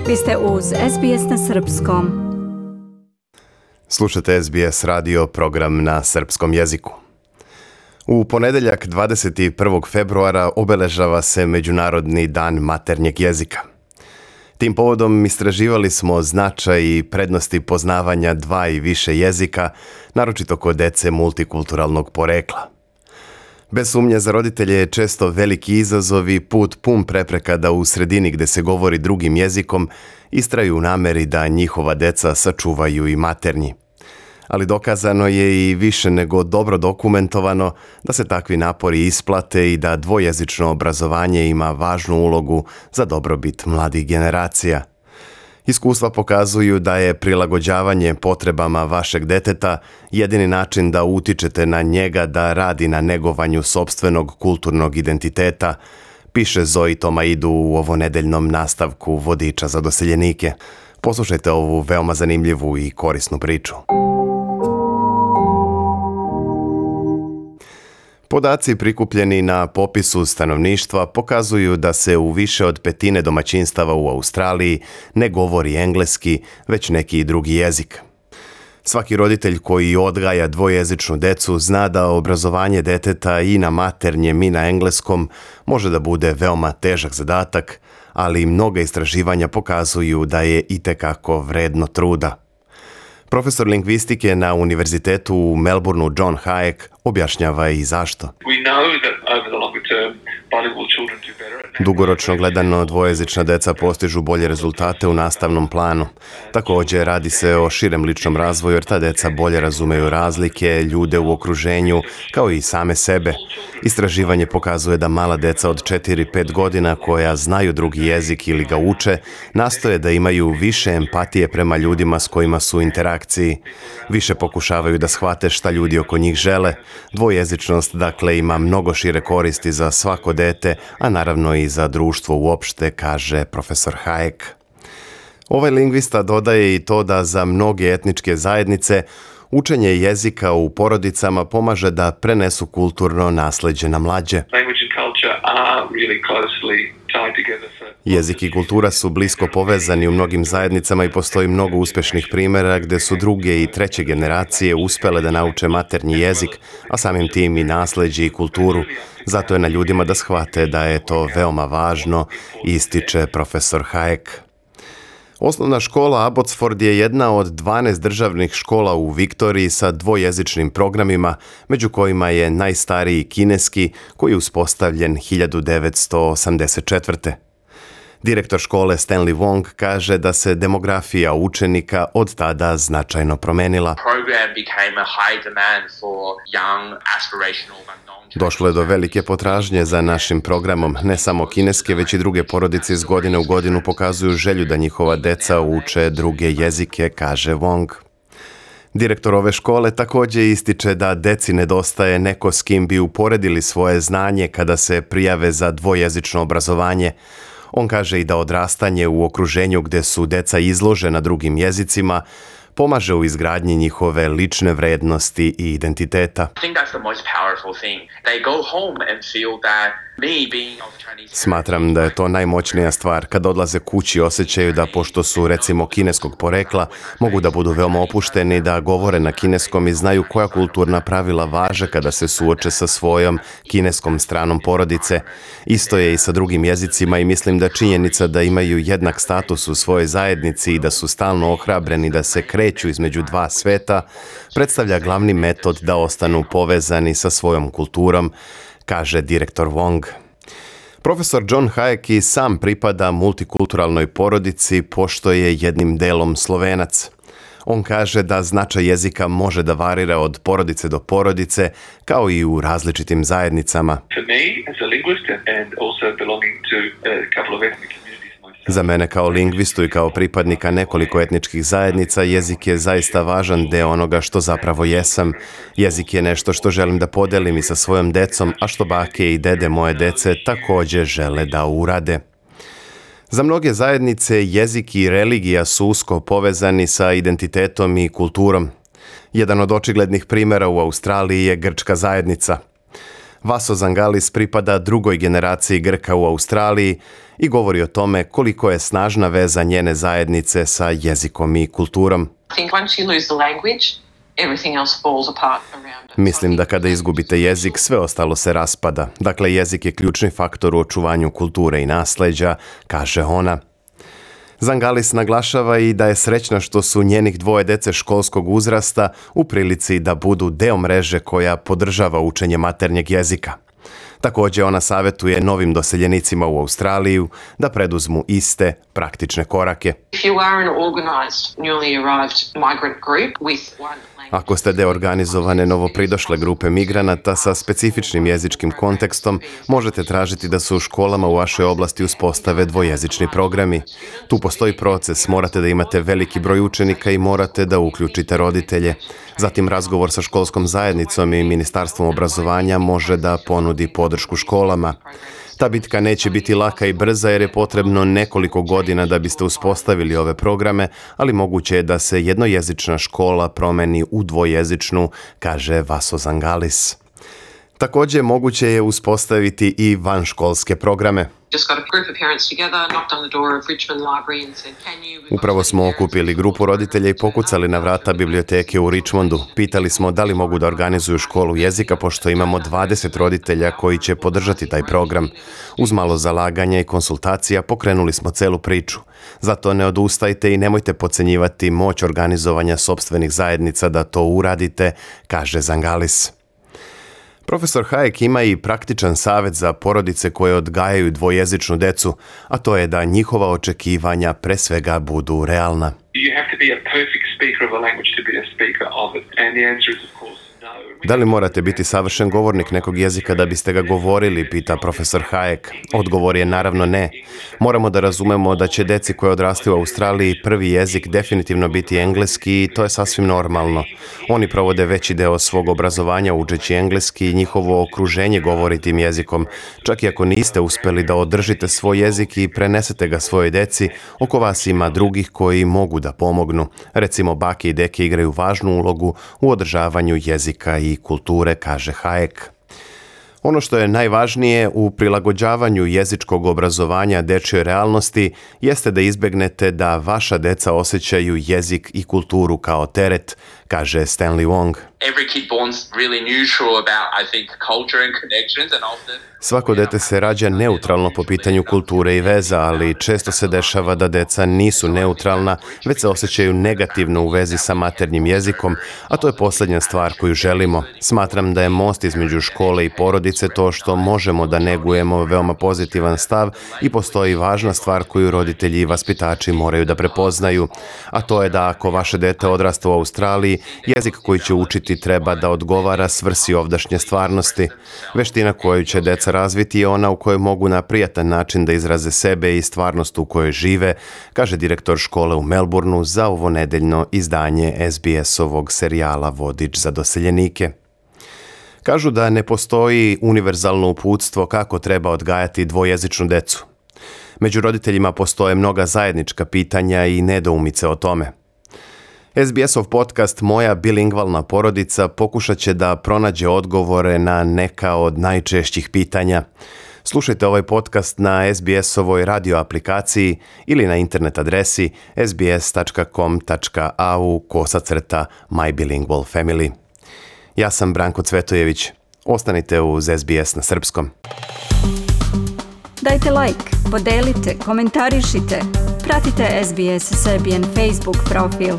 Vi ste uz SBS na Srpskom. Slušate SBS radio, program na srpskom jeziku. U ponedeljak 21. februara obeležava se Međunarodni dan maternjeg jezika. Tim povodom istraživali smo značaj i prednosti poznavanja dva i više jezika, naročito kod dece multikulturalnog porekla. Bez sumnje za roditelje je često veliki izazov i put pun prepreka da u sredini gde se govori drugim jezikom istraju u nameri da njihova deca sačuvaju i maternji. Ali dokazano je i više nego dobro dokumentovano da se takvi napori isplate i da dvojezično obrazovanje ima važnu ulogu za dobrobit mladih generacija. Iskustva pokazuju da je prilagođavanje potrebama vašeg deteta jedini način da utičete na njega da radi na negovanju sopstvenog kulturnog identiteta, piše Zoe Tomaidu u ovonedeljnom nastavku Vodiča za doseljenike. Poslušajte ovu veoma zanimljivu i korisnu priču. Podaci prikupljeni na popisu stanovništva pokazuju da se u više od petine domaćinstava u Australiji ne govori engleski, već neki drugi jezik. Svaki roditelj koji odgaja dvojezičnu decu zna da obrazovanje deteta i na maternjem i na engleskom može da bude veoma težak zadatak, ali mnoga istraživanja pokazuju da je itekako vredno truda. Profesor lingvistike na univerzitetu u Melbourneu John Hayek objašnjava i zašto. Dugoročno gledano, dvojezična deca postižu bolje rezultate u nastavnom planu. Također radi se o širem ličnom razvoju jer ta deca bolje razumeju razlike, ljude u okruženju, kao i same sebe. Istraživanje pokazuje da mala deca od 4-5 godina koja znaju drugi jezik ili ga uče, nastoje da imaju više empatije prema ljudima s kojima su u interakciji. Više pokušavaju da shvate šta ljudi oko njih žele. Dvojezičnost, dakle, ima mnogo šire koristi za svako dete, a naravno i za društvo uopšte, kaže profesor Hayek. Ovaj lingvista dodaje i to da za mnoge etničke zajednice učenje jezika u porodicama pomaže da prenesu kulturno nasleđe na mlađe. Jezik i kultura su blisko povezani u mnogim zajednicama i postoji mnogo uspešnih primjera gde su druge i treće generacije uspele da nauče maternji jezik, a samim tim i nasleđe i kulturu. Zato je na ljudima da shvate da je to veoma važno, ističe profesor Hayek. Osnovna škola Abbotsford je jedna od 12 državnih škola u Viktoriji sa dvojezičnim programima, među kojima je najstariji kineski, koji je uspostavljen 1984. Direktor škole Stanley Wong kaže da se demografija učenika od tada značajno promenila. Došlo je do velike potražnje za našim programom. Ne samo kineske, već i druge porodice iz godine u godinu pokazuju želju da njihova deca uče druge jezike, kaže Wong. Direktor ove škole također ističe da deci nedostaje neko s kim bi uporedili svoje znanje kada se prijave za dvojezično obrazovanje. On kaže i da odrastanje u okruženju gdje su deca izložena drugim jezicima pomaže u izgradnji njihove lične vrednosti i identiteta. Smatram da je to najmoćnija stvar. Kad odlaze kući osjećaju da pošto su recimo kineskog porekla, mogu da budu veoma opušteni, da govore na kineskom i znaju koja kulturna pravila važe kada se suoče sa svojom kineskom stranom porodice. Isto je i sa drugim jezicima i mislim da činjenica da imaju jednak status u svojoj zajednici i da su stalno ohrabreni da se kreću između dva sveta predstavlja glavni metod da ostanu povezani sa svojom kulturom, kaže direktor Wong. Profesor John Hayek i sam pripada multikulturalnoj porodici pošto je jednim delom Slovenac. On kaže da značaj jezika može da varira od porodice do porodice, kao i u različitim zajednicama. Za mene kao lingvistu i kao pripadnika nekoliko etničkih zajednica, jezik je zaista važan deo onoga što zapravo jesam. Jezik je nešto što želim da podelim i sa svojom decom, a što bake i dede moje dece također žele da urade. Za mnoge zajednice jezik i religija su usko povezani sa identitetom i kulturom. Jedan od očiglednih primjera u Australiji je grčka zajednica. Vaso Zangalis pripada drugoj generaciji Grka u Australiji i govori o tome koliko je snažna veza njene zajednice sa jezikom i kulturom. Mislim da kada izgubite jezik, sve ostalo se raspada. Dakle, jezik je ključni faktor u očuvanju kulture i nasleđa, kaže ona. Zangalis naglašava i da je srećna što su njenih dvoje dece školskog uzrasta u prilici da budu deo mreže koja podržava učenje maternjeg jezika. Također ona savjetuje novim doseljenicima u Australiju da preduzmu iste praktične korake. Ako ste deo organizovane novopridošle grupe migranata sa specifičnim jezičkim kontekstom, možete tražiti da se u školama u vašoj oblasti uspostave dvojezični programi. Tu postoji proces, morate da imate veliki broj učenika i morate da uključite roditelje. Zatim razgovor sa školskom zajednicom i Ministarstvom obrazovanja može da ponudi podršku školama. Ta bitka neće biti laka i brza jer je potrebno nekoliko godina da biste uspostavili ove programe, ali moguće je da se jednojezična škola promeni u dvojezičnu, kaže Vaso Zangalis. Također moguće je uspostaviti i vanškolske programe. Upravo smo okupili grupu roditelja i pokucali na vrata biblioteke u Richmondu. Pitali smo da li mogu da organizuju školu jezika, pošto imamo 20 roditelja koji će podržati taj program. Uz malo zalaganja i konsultacija pokrenuli smo celu priču. Zato ne odustajte i nemojte podcenjivati moć organizovanja sopstvenih zajednica da to uradite, kaže Zangalis. Profesor Hayek ima i praktičan savjet za porodice koje odgajaju dvojezičnu decu, a to je da njihova očekivanja pre svega budu realna. Da li morate biti savršen govornik nekog jezika da biste ga govorili, pita profesor Hayek. Odgovor je naravno ne. Moramo da razumemo da će deci koje odrastaju u Australiji prvi jezik definitivno biti engleski i to je sasvim normalno. Oni provode veći deo svog obrazovanja učeći engleski i njihovo okruženje govori tim jezikom. Čak i ako niste uspeli da održite svoj jezik i prenesete ga svojoj deci, oko vas ima drugih koji mogu da pomognu. Recimo, bake i deke igraju važnu ulogu u održavanju jezika i kulture, kaže Hayek. Ono što je najvažnije u prilagođavanju jezičkog obrazovanja dečjoj realnosti jeste da izbegnete da vaša deca osjećaju jezik i kulturu kao teret, kaže Stanley Wong. Svako dete se rađa neutralno po pitanju kulture i veza, ali često se dešava da deca nisu neutralna, već se osjećaju negativno u vezi sa maternjim jezikom, a to je posljednja stvar koju želimo. Smatram da je most između škole i porodice to što možemo da negujemo veoma pozitivan stav i postoji važna stvar koju roditelji i vaspitači moraju da prepoznaju, a to je da ako vaše dete odrasta u Australiji, jezik koji će učiti treba da odgovara svrsi ovdašnje stvarnosti. Veština koju će deca razviti je ona u kojoj mogu na prijatan način da izraze sebe i stvarnost u kojoj žive, kaže direktor škole u Melbourneu za ovo nedeljno izdanje SBS-ovog serijala Vodič za doseljenike. Kažu da ne postoji univerzalno uputstvo kako treba odgajati dvojezičnu decu. Među roditeljima postoje mnoga zajednička pitanja i nedoumice o tome. SBS-ov podcast Moja bilingvalna porodica pokušat će da pronađe odgovore na neka od najčešćih pitanja. Slušajte ovaj podcast na SBS-ovoj radio aplikaciji ili na internet adresi sbs.com.au/mybilingualfamily. Ja sam Branko Cvetojević. Ostanite uz SBS na srpskom. Dajte like, podelite, komentarišite. Pratite SBS Serbian Facebook profil.